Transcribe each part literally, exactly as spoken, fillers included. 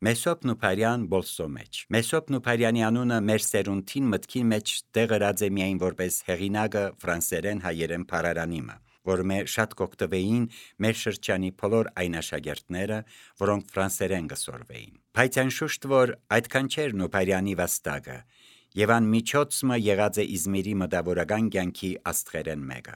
Մեսոպ Նուփարյան Բոլսո մեջ Մեսոպ Նուփարյանի անունը մեր սերունդին մտքի մեջ տեղրած է միայն որպես հեղինակը ֆրանսերեն հայերեն փարարանիմը, որ մեր շատ կօգտվեին մեր շրջանի բոլոր այն աշակերտները, որոնք ֆրանսերեն գսորվեին։ Բայց անշուշտ որ այդքան չէր Նուփարյանի վաստակը, եւ ան միջոցը եղած է Իզմիրի մտավորական կյանքի աստղերեն մեկը։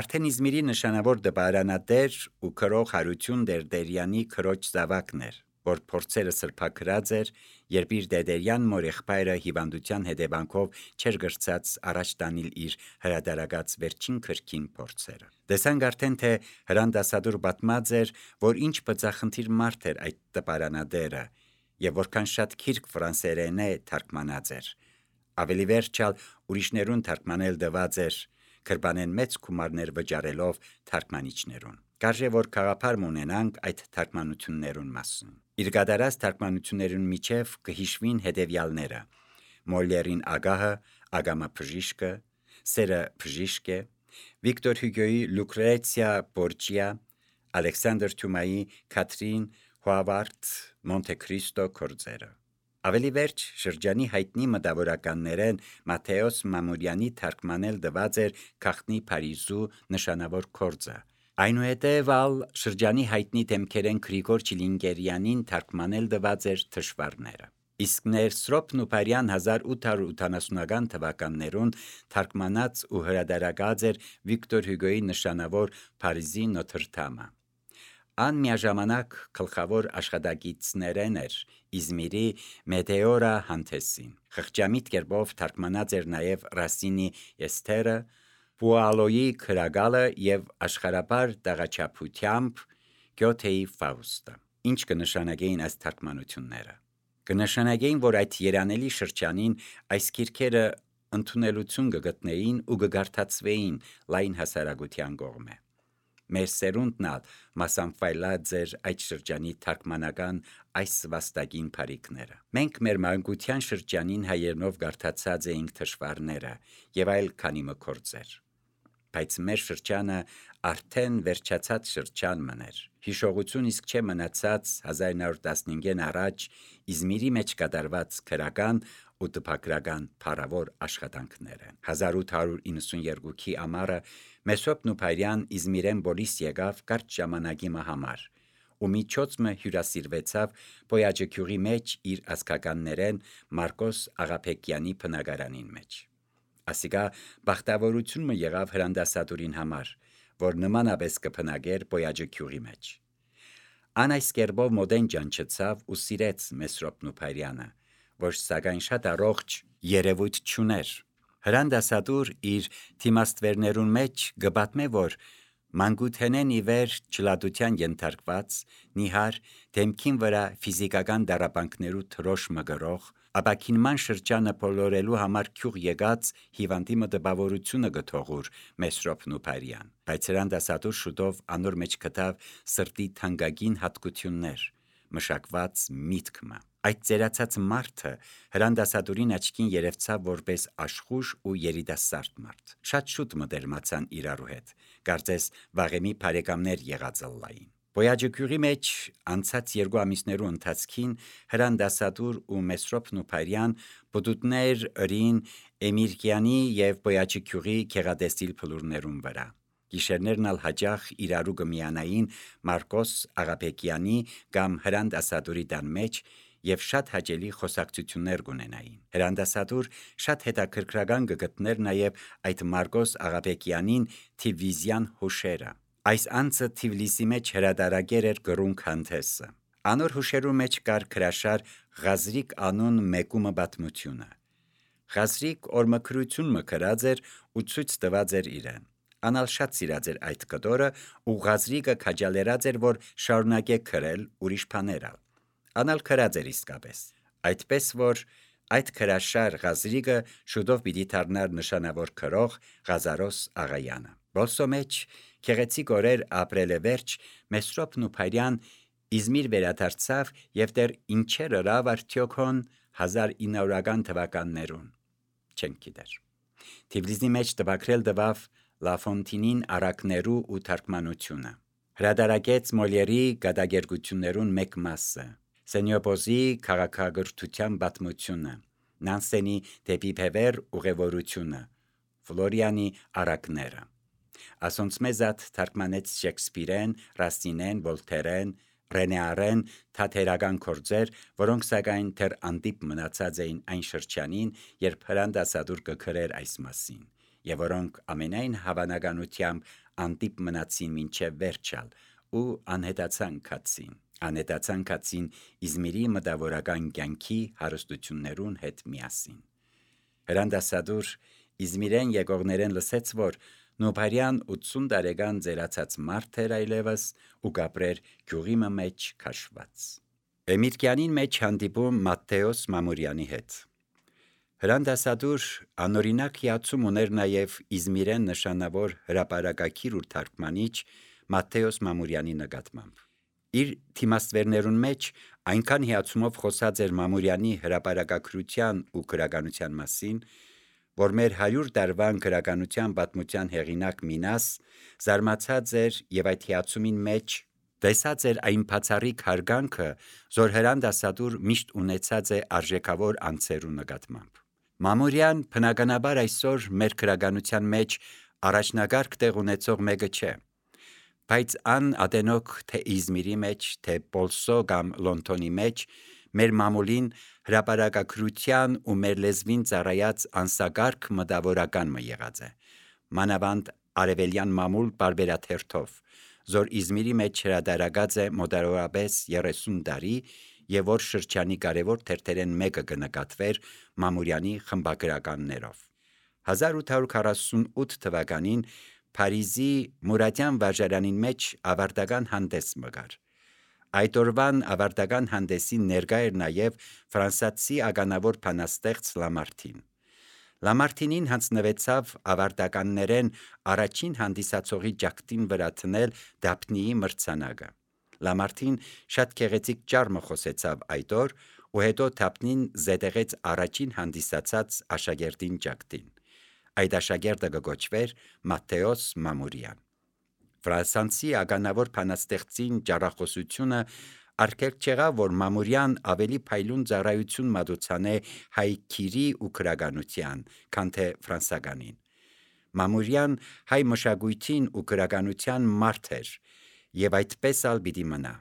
Արդեն Իզմիրի նշանավոր դպարանատեր ու քրող Հարություն Դերդերյանի քրոջ զավակներ, որ փորձերը սրբակրած էր, երբ իր դեդերյան մոր եղբայրը հիվանդության հետևանքով չէր գրծած առաջ տանել իր հրադարակած վերջին քրքին փորձերը։ Տեսանք արդեն թե հրանդասադուր պատմած էր, որ ինչ բծախնդիր մարդ էր այդ դպարանատերը, եւ որքան շատ քիրք ֆրանսերեն է թարգմանած էր։ Ավելի վերջալ ուրիշներուն թարգմանել դված էր, քրբանեն մեծ գումարներ վճարելով թարգմանիչներուն։ Կարժե որ խաղապար ունենանք այդ թարգմանություններուն մասին։ Իր գդարած թարգմանություններուն միջև կհիշվին հետևյալները. Մոլերին ագահը, Ագամա բժիշկը, Սերը բժիշկը, Վիկտոր Հյուգոյի Լուկրեցիա Բորջիա, Ալեքսանդր Թյումայի Քաթրին Հուավարդ Մոնտե Քրիստո կորձերը։ Ավելի վերջ շրջանի հայտնի մտավորականներեն Մատթեոս Մամուրյանի թարգմանել դված էր Քաղտնի Փարիզու նշանավոր կորձը։ Այնուհետև ալ շրջանի հայտնի դեմքերեն Գրիգոր Չիլինգերյանին թարգմանել դված էր թշվառները։ Իսկ Ներսրոպ Նուփարյան հազար ութ հարյուր ութանասունական թվականներուն թարգմանած ու հրադարակած էր Վիկտոր Հյուգոյի նշանավոր Փարիզի Նոթրդամը։ Ան միաժամանակ գլխավոր աշխատակիցներեն էր Իզմիրի Մետեորա Հանթեսին։ Խղճամիտ կերպով թարգմանած էր նաև Ռասինի Էսթերը, Պուալոյի Քրագալը եւ աշխարհաբար տաղաչափությամբ Գյոթեի Ֆաուստը։ Ինչ կնշանակեին այս թարգմանությունները։ Կնշանակեին, որ այդ երանելի շրջանին այս քիրքերը ընդունելություն կգտնեին ու կգարթացվեին լայն հասարակության կողմէ։ Մեր սերունդն ալ մասամփայլած էր այդ շրջանի թարգմանական այս վաստակին բարիկները։ Մենք մեր մանկության շրջանին հայերենով գարթացած էինք թշվառները եւ այլ քանի մկորձեր։ Բայց մեր շրջանը արդեն վերջացած շրջան մներ։ Հիշողություն իսկ չէ մնացած հազար նոր տասնհինգեն առաջ Իզմիրի մեջ կատարված քրական ու տպագրական փառավոր աշխատանքները։ հազար ութ հարյուր իննսունյերկուքի ամառը Մեսոպ Նուփարյան Իզմիրեն բոլիս եկավ կարճ ժամանակի համար ու միջոցը հյուրասիրվեցավ Պոյաջե գյուղի մեջ իր ազգականներեն Մարկոս Աղափեկյանի բնակարանին մեջ։ Ասիկա բախտավորությունը եղավ հրանդասատուրին համար, որ նմանապես կփնագեր Պոյաջե գյուղի մեջ։ Ան այս կերպով մոդեն ջանչեցավ ու սիրեց Մեսրոպ Նուփարյանը, որ սակայն շատ առողջ երևույթ չուներ։ Հրանդասատուր իր թիմաստվերներուն մեջ գբատմե, որ մանկութենեն ի վեր չլատության ենթարկված, նիհար դեմքին վրա ֆիզիկական դարապանքներու թրոշ մգրող, ապակինման շրջանը բոլորելու համար գյուղ եկած հիվանդի մտաբավորությունը գթողուր Մեսրոպ Նուփարյան։ Բայց հրանդասատուր շուտով անոր մեջ գտավ սրտի թանկագին հատկություններ, մշակված միտքը։ Այդ ծերացած մարդը հրանդասատուրին աչքին երևցավ որպես աշխույժ ու երիտասարդ մարդ։ Շատ շուտ մտերմացան իրարու հետ, կարծես վաղեմի բարեկամներ եղած ըլլային։ Պոյաջե գյուղի մեջ անցած երկու ամիսներու ընթացքին հրանդասատուր ու Մեսրոպ Նուփարյան բդուտներ ըրին Էմիրկյանի եւ Պոյաջե գյուղի քեղադեստիլ փլուրներուն վրա։ Գիշերներն ալ հաճախ իրարու կմիանային Մարկոս Աղափեկյանի կամ հրանդասատուրի տան մեջ եւ շատ հաճելի խոսակցություններ կունենային։ Հրանդասատուր շատ հետաքրքրական կգտներ նաև այդ Մարկոս Աղափեկյանին Թիվլիսյան հուշերը։ Այս անձը Թիվլիսի մեջ հրադարակեր էր գրունկ Հանթեսը։ Անոր հուշերու մեջ կար քրաշար Ղազրիկ անուն մեկումը պատմությունը։ Ղազրիկ օրմքրություն մկրած էր ու ցույց տված էր իրեն։ Անալ շատ սիրած էր այդ կտորը ու Ղազրիկը քաջալերած էր, որ շարունակե քրել ուրիշ բաներ։ Անալ քրած էր իսկապես։ Այդպես որ այդ քրաշար Ղազրիկը շուտով պիտի դառնար նշանավոր քրող Ղազարոս Աղայանը։ Բոլսո մեջ քեղեցիկ օրեր ապրել է վերջ Մեսրոպ Նուփարյան Իզմիր վերադարձավ եւ դեռ ինչեր ըրավ արդյոքոն հազար ինը հարյուրական թվականներուն չենք գիտեր։ Թիվլիսի մեջ տպագրել տվավ Լաֆոնտինին առակներու ու թարգմանությունը։ Հրադարակեց Մոլիերի գադագերգություններուն մեկ մասը։ Սենյոպոզի քաղաքագրթության պատմությունը, Նանսենի դեպի Փևեր ուղևորությունը, Ֆլորիանի առակները։ Ասոնց մեզատ թարգմանեց Շեքսպիրեն, Ռասինեն, Վոլթերեն, Ռենեարեն թատերական գործեր, որոնք սակայն դեռ անդիպ մնացած էին այն շրջանին, երբ Հրանտ Ասադուր կգրեր այս մասին, եւ որոնք ամենայն հավանականությամբ անդիպ մնացին մինչև վերջալ ու անհետացան կացին։ Անհետացան կացին Իզմիրի մտավորական կյանքի հարստություններուն հետ միասին։ Հրանտ Ասադուր Իզմիրեն եկողներեն լսեց, որ Նոբարյան ութսուն տարեկան ձերացած մարդ էր այլևս ու կապրեր գյուղի մեջ քաշված։ Էմիրկյանին մեջ հանդիպում Մատթեոս Մամուրյանի հետ։ Հրանտ Ասադուր անօրինակ հիացում ուներ նաև Իզմիրեն նշանավոր հրապարակագիր ու թարգմանիչ Մատթեոս Մամուրյանի նկատմամբ։ Իր թիմաստվերներուն մեջ այնքան հիացումով խոսած էր Մամուրյանի հրապարակագրության ու գրականության մասին, որ մեր հարյուր տարվան գրականության պատմության հեղինակ Մինաս զարմացած էր եւ այդ հիացումին մեջ տեսած էր այն բացառիկ հարգանքը, որ Հրանտ Ասադուր միշտ ունեցած է արժեքավոր անձերու նկատմամբ։ Մամուրյան բնականաբար այսօր մեր գրականության մեջ առաջնագարկ տեղ ունեցող մեկը չէ, բայց ան ադենոք թե Իզմիրի մեջ, թե Պոլսո կամ Լոնդոնի մեջ մեր մամուլին հրապարակագրության ու մեր լեզվին ծառայած անսագարկ մտավորական մը եղած է, մանավանդ արևելյան մամուլ բարբերաթերթով, որ Իզմիրի մեջ հրադարագած է մոտավորապես երեսուն տարի եւ որ շրջանի կարևոր թերթերեն մեկը կնկատվեր Մամուրյանի խմբագրականներով։ հազար ութ հարյուր քառասունութ թվականին Փարիզի Մուրադյան վարժարանին մեջ ավարտական հանդես մգար։ Այդ օրվան ավարտական հանդեսին ներկա էր նաև ֆրանսացի ականավոր բանաստեղծ Լամարտին։ Լամարտինին հանձնվեցավ ավարտականներեն առաջին հանդիսացողի ջակտին վրա տնել Դափնիի մրցանակը։ Լամարտին շատ գեղեցիկ ճառմը խոսեցավ այդ օր ու հետո Դափնին զետեղեց առաջին հանդիսացած աշակերտին ջակտին։ Այդ աշակերտը կոչվեր Մատթեոս Մամուրյան։ Ֆրանսանցի ականավոր բանաստեղծին ճառախոսությունը արգելք չեղավ, որ Մամուրյան ավելի փայլուն ծառայություն մատուցանե հայ քիրի ու գրականության, քան թե ֆրանսականին։ Մամուրյան հայ մշակույթին ու գրականության մարդ էր եւ այդպես ալ պիտի մնա,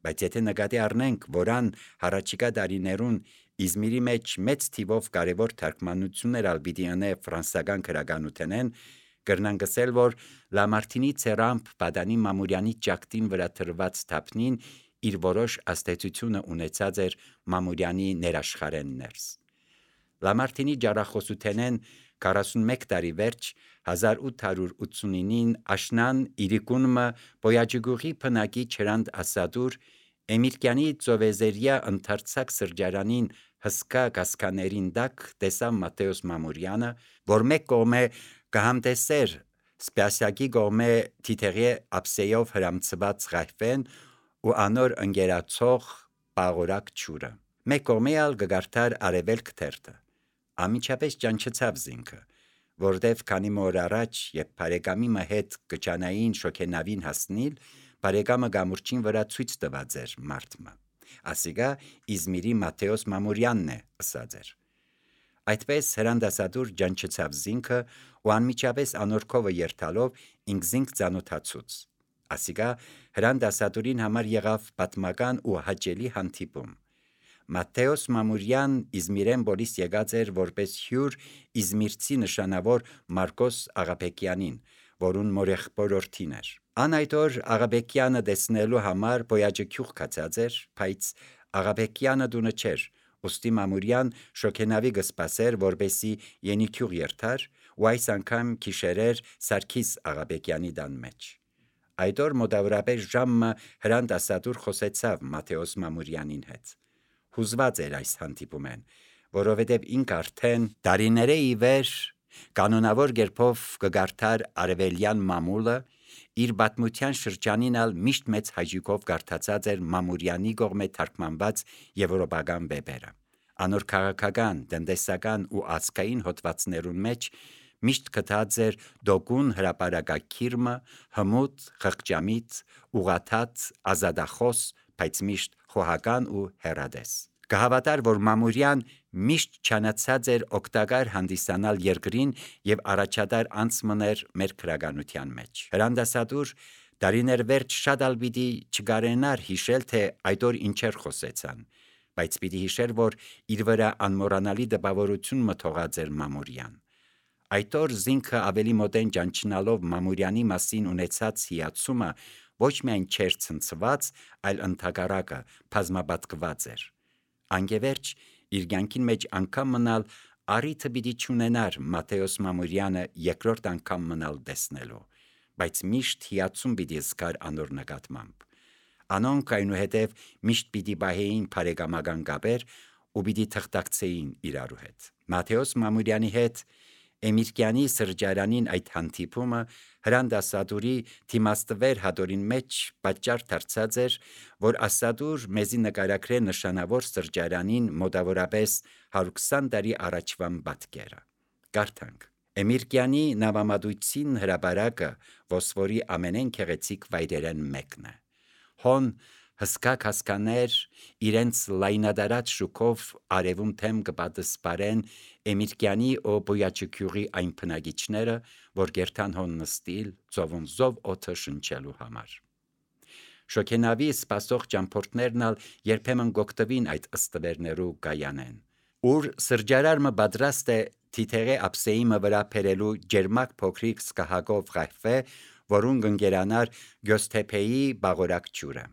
բայց եթե նկատի առնենք, որ ան հառաջիկա տարիներուն Իզմիրի մեջ մեծ թիվով կարևոր թարգմանություններ ալ պիտի անե ֆրանսական գրականութենեն, կրնանք ասել, որ Լամարտինի ցերամփ Բադանի Մամուրյանի ջակտին վրա թրված Դափնին իր որոշ աստեցությունը ունեցած էր Մամուրյանի ներաշխարեն ներս։ Լամարտինի ջառախոսութենեն քառասունմեկ տարի վերջ հազար ութ հարյուր ութսունինին աշնան իրիկունմը Բոյաջգուղի բնակիչ Հրանտ Ասադուր Էմիրկյանի ծովեզերյա ընդարձակ սրճարանին հսկա կասկաներին տակ տեսավ Մատթեոս Մամուրյանը, որ մեկ կողմե կհամտեսեր սպասյակի կողմե թիթեղի ափսեյով հրամցված ղայֆեն ու անոր ընկերացող պաղորակ ջուրը։ Մեկ կողմե ալ կգարտար արևելք թերթը։ Ամիջապես ճանչեցավ զինքը, որտեվ քանի մոր առաջ, երբ բարեկամի մը հետ կճանային շոքենավին հասնիլ, բարեկամը գամուրջին վրա ցույց տված էր մարդմը։ Ասիգա Իզմիրի Մատթեոս Մամուրյանն է, ըսած էր։ Այդպես Հրանտ Ասադուր ճանչեցավ զինքը ու անմիջապես անորքովը երթալով ինքզինք ծանոթացուց։ Ասիգա Հրանտ Ասադուրին համար եղավ պատմական ու հաճելի հանդիպում։ Մատթեոս Մամուրյան Իզմիրեն բոլիս եկած էր որպես հյուր իզմիրցի նշանավոր Մարկոս Աղաբեկյանին, որուն մորեղբորորդին էր։ Ան այդ օր Աղաբեկյանը տեսնելու համար Բոյաջգյուղ կացած էր, բայց Աղաբեկյանը դունը չէր, ուստի Մամուրյան շոքենավի կսպասեր, որպեսի ենիքյուղ երթար, ու այս անգամ գիշերեր Սարգիս Աղաբեկյանի տան մեջ։ Այդ օր մոտավորապես ժամը Հրանտ Ասադուր խոսեցավ Մատթեոս Մամուրյանին հետ։ Հուզված էր այս հանդիպումեն, որովհետև ինք արդեն տարիների ի վեր կանոնավոր կերպով կգարթար արևելյան մամուլը, իր պատմության շրջանին ալ միշտ մեծ հաճույքով կարդացած էր Մամուրյանի կողմէ թարգմանված եվրոպական վեպերը։ Անոր քաղաքական, տնտեսական ու ազգային հոդվածներուն մեջ միշտ գտած էր դոգուն հրապարակագիրը, հմուտ, խղճամիտ, ուղաթած, ազատախոս, բայց միշտ խոհական ու հեռադես։ Կհավատար, որ Մամուրյան միշտ չանացած էր օգտակար հանդիսանալ երկրին եւ առաջադար անց մներ մեր քրագանության մեջ։ Հրանդասատուր դարիներ վերջ շատ ալ պիտի չգարենար հիշել, թե այդ օր ինչեր խոսեցան, բայց պիտի հիշեր, որ իր վրա անմոռանալի դպավորություն մթողած էր Մամուրյան։ Այդ օր զինքը ավելի մոտեն ճանչնալով Մամուրյանի մասին ունեցած հիացումը ոչ միայն չէր ցնցված, այլ ընդհակառակը բազմապատկված էր։ Անգևերջ իր կյանքին մեջ անգամ մնալ առիթը պիտի չունենար Մատթեոս Մամուրյանը երկրորդ անգամ մնալ տեսնելու, բայց միշտ հիացում պիտի զգար անոր նկատմամբ։ Անոնք այնուհետև միշտ պիտի բահեին բարեկամական կապեր ու պիտի թղթակցեին իրարու հետ։ Մատթեոս Մամուրյանի հետ Էմիրկյանի սրճարանին այդ հանդիպումը հրանդասատուրի թիմաստվեր հատորին մեջ պատճառ դարձած էր, որ ասադուր մեզի նկարագրե նշանավոր սրճարանին մոտավորապես հարյուր քսան տարի առաջվան պատկերը։ Կարդանք. Էմիրկյանի նավամատույցին հրապարակը ոսվորի ամենեն քեղեցիկ վայրերեն մեկն է։ Հոն հսկա հասկաներ իրենց լայնադարած շուկով արևում թեմ կպատսպարեն Էմիրկյանի ու Բոյաչիկյուղի այն բնակիչները, որ գերտան հոն նստիլ ծովուն զով օդը շնչելու համար։ Շոքենավի սպասող ճամփորդներն ալ երբեմն գոկտվին այդ ըստվերներու գայանեն, ուր սրճարարը պատրաստ է թիթեղե ափսեիմը վրա փերելու ջերմակ փոքրիկ սկահակով ղայֆե, որուն գնգերանար Գյոսթեփեի բաղորակ ջուրը։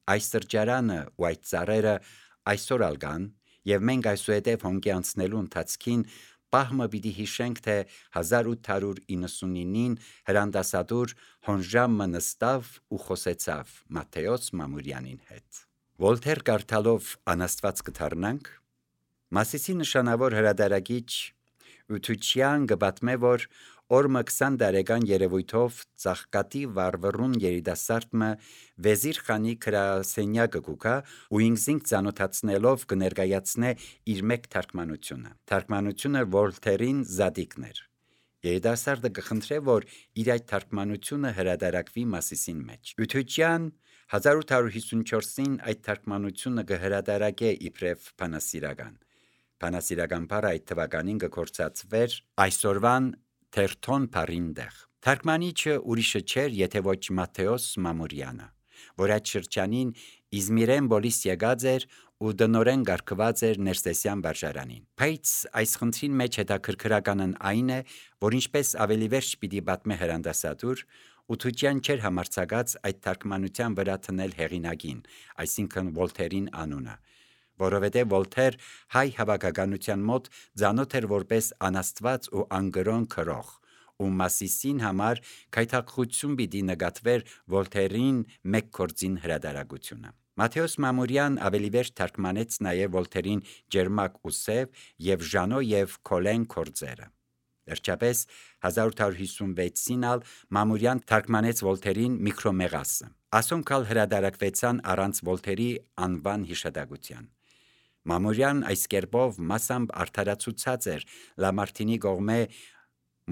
Այս սրճարանը ու այդ ծառերը այսօր ալ կան, եւ մենք այսուհետև հոնքի անցնելու ընթացքին պահմը պիտի հիշենք, թե հազար ութ հարյուր իննսունինին հրանդասատուր հոնժամը նստավ ու խոսեցավ Մատթեոս Մամուրյանին հետ։ Վոլթեր կարդալով անաստված կդառնանք։ Մասիսի նշանավոր հրադարագիչ Ութուչյան կպատմե, որ օրը քսան տարեկան երևույթով ծաղկատի վարվռուն երիտասարդը վեզիր խանի քրասենյակը կուքա ու ինքզինք ծանոթացնելով կներկայացնե իր մեկ թարգմանությունը։ Թարգմանությունը Վոլթերին զադիկն էր։ Երիտասարդը կխնդրե, որ իր այդ թարգմանությունը հրադարակվի Մասիսին մեջ։ Ութուչյան հազար ութ հարյուր հիսունչորսին այդ թարգմանությունը կհրադարակե իբրև բանասիրական։ Բանասիրական բառը այդ թվականին կկործածվեր այսօրվան թերթոն բառին տեղ։ Թարգմանիչը ուրիշը չէր, եթե ոչ Մատթեոս Մամուրյանը, որ այդ շրջանին Իզմիրեն բոլիս եկած էր ու դնորեն գարկված էր Ներսեսյան վարժարանին։ Բայց այս խնդրին մեջ հետաքրքրականն այն է, որ ինչպես ավելի վերջ պիտի պատմե հրանդասատուր, Ութուչյան չէր համարձակած այդ թարգմանության վրա թնել հեղինակին, այսինքն Վոլթերին անունը, որովհետև Վոլթեր հայ հավաքականության մոտ ծանոթ էր որպես անաստված ու անգրոն քրող, ու Մասիսին համար քայթակղություն պիտի նկատվեր Վոլթերին մեկ գործին հրադարագությունը։ Մատթեոս Մամուրյան ավելի վերջ թարգմանեց նաև Վոլթերին Ջերմակ ու սև եւ Ժանո եւ Քոլեն գործերը։ Վերջապես հազար ութ հարյուր հիսունվեցին ալ Մամուրյան թարգմանեց Վոլթերին Միկրոմեղասը։ Ասոնքալ հրադարակվեցան առանց Վոլթերի անվան հիշատակության։ Մամուրյան այս կերպով մասամբ արդարացուցած էր Լամարտինի կողմէ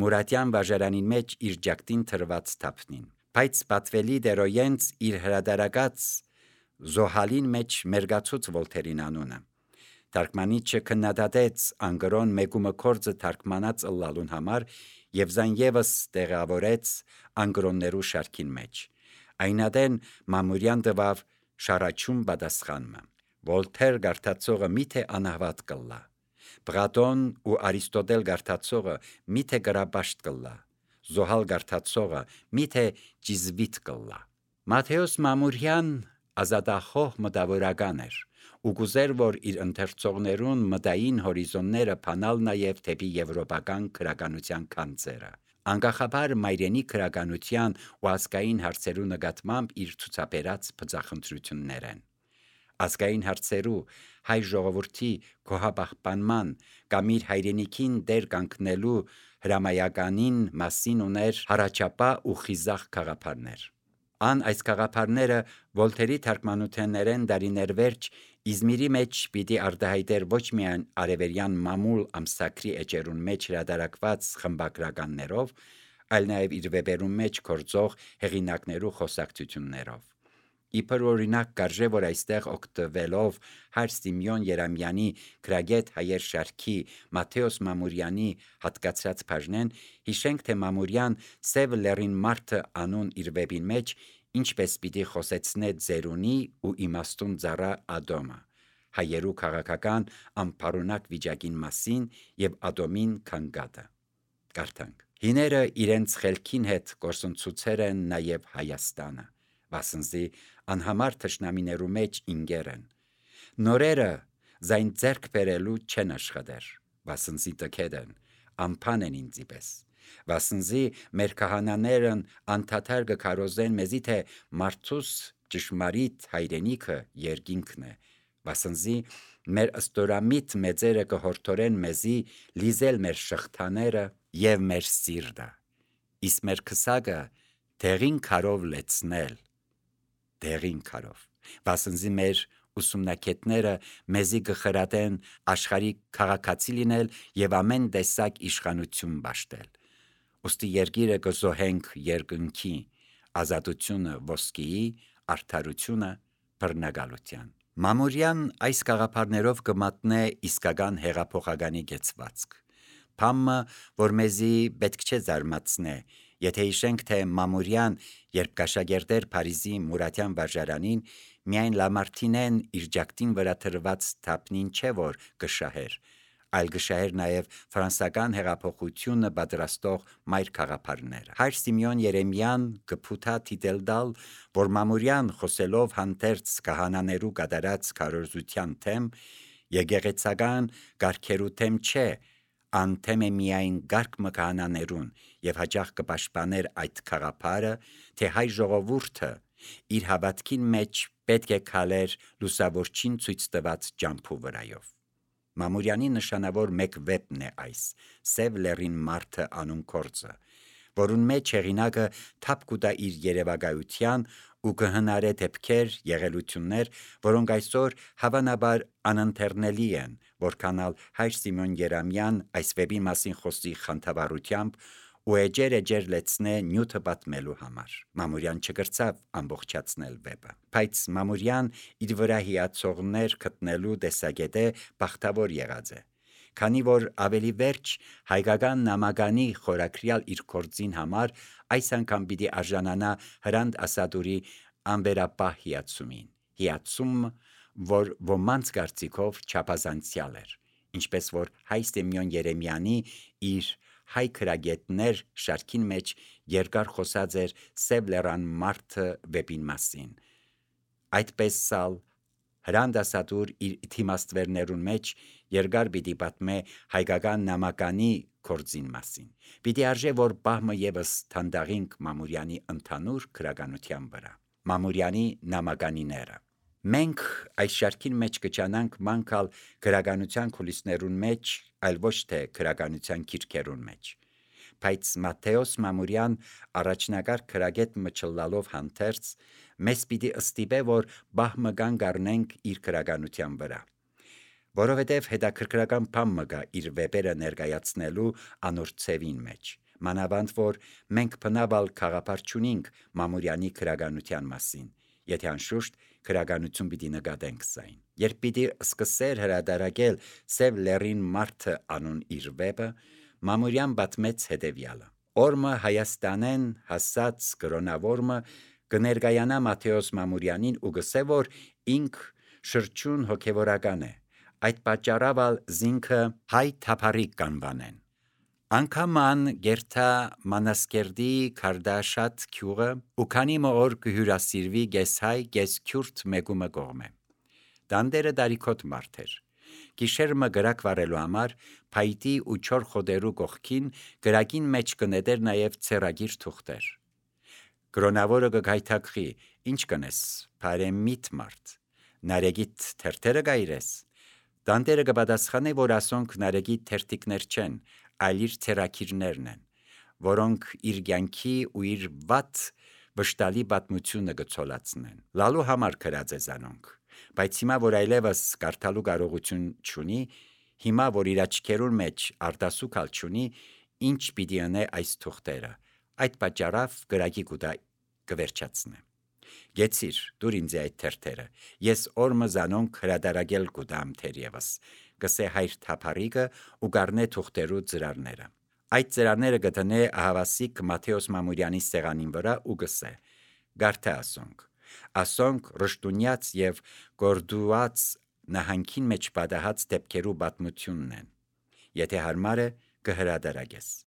Մուրատյան վարժարանին մեջ իր ջակտին թրված թափնին, բայց պատվելի դերոյենց իր հրադարակած Զոհալին մեջ մերգացուց Վոլթերին անունը։ Թարգմանիչը քննադատեց անգրոն մեգումը կորձը թարգմանած ըլլալուն համար եւ զայն եւս տեղավորեց անգրոններու շարքին մեջ։ Այնադեն Մամուրյան տվավ շարաչում պատասխանը։ Վոլթեր գարտացողը միթե անհավատ կլա, Պլատոն ու Արիստոտել գարտացողը միթե գրաբաշտ կլա, Զոհալ գարտացողը միթե ճիզվիտ կլա։ Մատթեոս Մամուրյան ազատախոհ մտավորական էր ու գուզեր, որ իր ընթերցողներուն մտային հորիզոնները փանալ նաև դեպի եվրոպական քրականության քանձերը։ Անկախաբար մայրենի քրականության ու ազգային հարցերու նկատմամբ իր ցուցաբերած բծախնդրություններեն։ Ազգային հարցերու հայ ժողովրդի գոհապահպանման կամ իր հայրենիքին դեր կանգնելու հրամայականին մասին ուներ հարաճապահ ու խիզախ գաղափարներ։ Ան այս գաղափարները Վոլթերի թարգմանութեններեն դարիներ վերջ Իզմիրի մեջ պիտի արտահայտեր ոչ միայն արևելյան մամուլ ամսակրի էջերուն մեջ հրադարակված խմբագրականներով, այլ նաև իր վեպերուն մեջ գործող հեղինակներու խոսակցություններով։ Իբր օրինակ կարժե, որ այստեղ օգտվելով Հայր Սիմեոն Երամյանի Գրագետ հայեր շարքի Մատթեոս Մամուրյանի հատկացրած բաժնեն, հիշենք, թե Մամուրյան Սև լեռին մարդը անուն իր վեպին մեջ ինչպես պիտի խոսեցնե ձերունի ու իմաստուն ծառա Ադոմը, հայերու քաղաքական անփարունակ վիճակին մասին եւ Ադոմին քանգատը։ Կարդանք. Հիները իրենց խելքին հետ կորսնցուցեր են նաեւ Հայաստանը, վասնզի անհամար թշնամիներու մեջ ինգեր են։ Նորերը զայն ձեռք բերելու չեն աշխատեր, վասնզի տքեդ են, ամփան են ինձի պես։ Վասնզի մեր քահանաներն անդադար կքարոզեն մեզի, թե մարդուս ճշմարիտ հայրենիքը երկինքն է, վասնզի մեր ըստորամիտ մեծերը կհորդորեն մեզի լիզել մեր շղթաները եւ մեր սիրտը, իսկ մեր քսակը դեղին քարով լեցնել, դեղին քարով, վասնզի մեր ուսումնակետները մեզի կխրատեն աշխարհի քաղաքացի լինել եւ ամեն տեսակ իշխանություն բաշխել։ Ոստի երկիրը կզոհենք երկնքի, ազատությունը ոսկիի, արդարությունը բռնագալության։ Մամուրյան այս գաղափարներով կմատնե իսկական հեղափոխականի գեցվածք։ Փամը, որ մեզի պետք չէ զարմացնե, եթե հիշենք, թե Մամուրյան, երբ կաշակերտեր Փարիզի Մուրատյան վարժարանին, միայն Լամարտինեն իր ջակտին վրա թրված թափնին չէ, որ կշահեր, այլ կշահեր նաև ֆրանսական հեղափոխությունը պատրաստող մայր քաղաքապարները։ Հայր Սիմեոն Երեմյան կփութա թիտել տալ, որ Մամուրյան խոսելով հանդերձ քահանաներու կատարած քարոզության թեմ, եկեղեցական կարգերու թեմ չէ, անթեմ է միայն գարգ մկահանաներուն եւ հաճախ կպաշտպաներ այդ քաղաքապարը, թե հայ ժողովուրդը իր հավատքին մեջ պետք է քալեր լուսավորչին ցույց տված ջամփու վրայով։ Մամուրյանի նշանավոր մեկ վեպն է այս Սև լեռին մարդը անուն կորձը, որուն մեջ հեղինակը թափ կուտա իր երևակայության ու կհնարե դեպքեր, եղելություններ, որոնք այսօր հավանաբար անընթեռնելի են, որքանալ Հայր Սիմեոն Երամյան այս վեպի մասին խոսի խանդավառությամբ ու էջեր-էջեր լեցնե նյութը պատմելու համար։ Մամուրյան չկրծավ ամբողջացնել վեպը, բայց Մամուրյան իր վրա հիացողներ գտնելու տեսակետը բախտավոր եղած է, քանի որ ավելի վերջ հայկական նամականի խորակրյալ իր կորձին համար այս անգամ պիտի արժանանա Հրանտ Ասադուրի անվերապահ հիացումին, հիացում, որ ոմանց կարծիքով չափազանցյալ էր, ինչպես որ Հայ Սիմեոն Երեմյանի իր հայ քրագետներ շարքին մեջ երկար խոսած էր Սև լեռան մարդը վեպին մասին։ Այդպես սալ Հրանտ Ասադուր իր թիմաստվերներուն մեջ երկար պիտի պատմե հայկական նամականի կորձին մասին։ Պիտի արժե, որ բահմը եւս թանդաղինք Մամուրյանի ընդհանուր քրագանության վրա։ Մամուրյանի նամականիները։ Մենք այս շարքին մեջ կճանանք մանկալ քրագանության կուլիսներուն մեջ, այլ ոչ թե քրագանության քիրքերուն մեջ։ Բայց Մատթեոս Մամուրյան առաջնակարգ քրագետ մչլալով հանդերձ մեզ պիտի ըստիպե, որ բահմը կան գարնենք իր քրագանության վրա, որովհետև հետաքրքրական բան մը կա իր վեպերը ներկայացնելու անոր ցևին մեջ, մանավանդ որ մենք բնավալ խաղապար չունենք Մամուրյանի քրագանության մասին, եթե անշուշտ քրագանություն պիտի նկատենք զայն։ Երբ պիտի սկսեր հրադարակել Սև լեռին մարդը անուն իր վեպը, Մամուրյան պատմեց հետևյալը. Օրմը Հայաստանեն հասած կրոնավորմը կներկայանա Մատթեոս Մամուրյանին ու գսե, որ ինք շրջուն հոգևորական է, այդ պատճառավալ զինքը հայ թափառիկ կանվանեն։ Անկաման գերթա Մանասկերդի Քարդաշատ քյուղը ու քանի մոր կհյուրասիրվի գեսհայ գեսքյուրտ մեգումը կողմե։ Դանդերը դարիքոտ մարդ էր։ Գիշերմը գրակ վարելու համար փայտի ու չոր խոդերու կողքին գրակին մեջ կնետեր նաև ցերագիր թուղթեր։ Կրոնավորը կգայթակղի, ինչ կնես, բարեմիտ մարդ, նարեգիտ թերթերը գայրես։ Դանդերը կպատասխանե, որ ասոնք նարեգիտ թերթիկներ չեն, այլ իր ցերակիրներն են, որոնք իր կյանքի ու իր վատ վշտալի պատմությունը կցոլացնեն։ Լալու համար գրած է զանոնք, բայց հիմա որ այլևս կարդալու կարողություն չունի, հիմա որ իր աչքերուն մեջ արտասուքալ չունի, ինչ պիտի անե այս թուղթերը, այդ պատճառավ գրակի կուտա կվերջացնե։ Գեցիր, դուր ինձ այդ թերթերը, ես օրմը զանոնք հրադարագել կուդամ թերևս, գսե հայր թափարիկը ու գարնե թուղթերու ծրարները։ Այդ ծրարները գտնե ահավասիկ Մաթեոս Մամուրյանի սեղանին վրա ու գսե, գարթե ասոնք, ասոնք ռշտունյաց և գորդուած նահանքին մեջ պատահած դեպքերու պատմությունն են, եթե հարմար է կհրադարագես։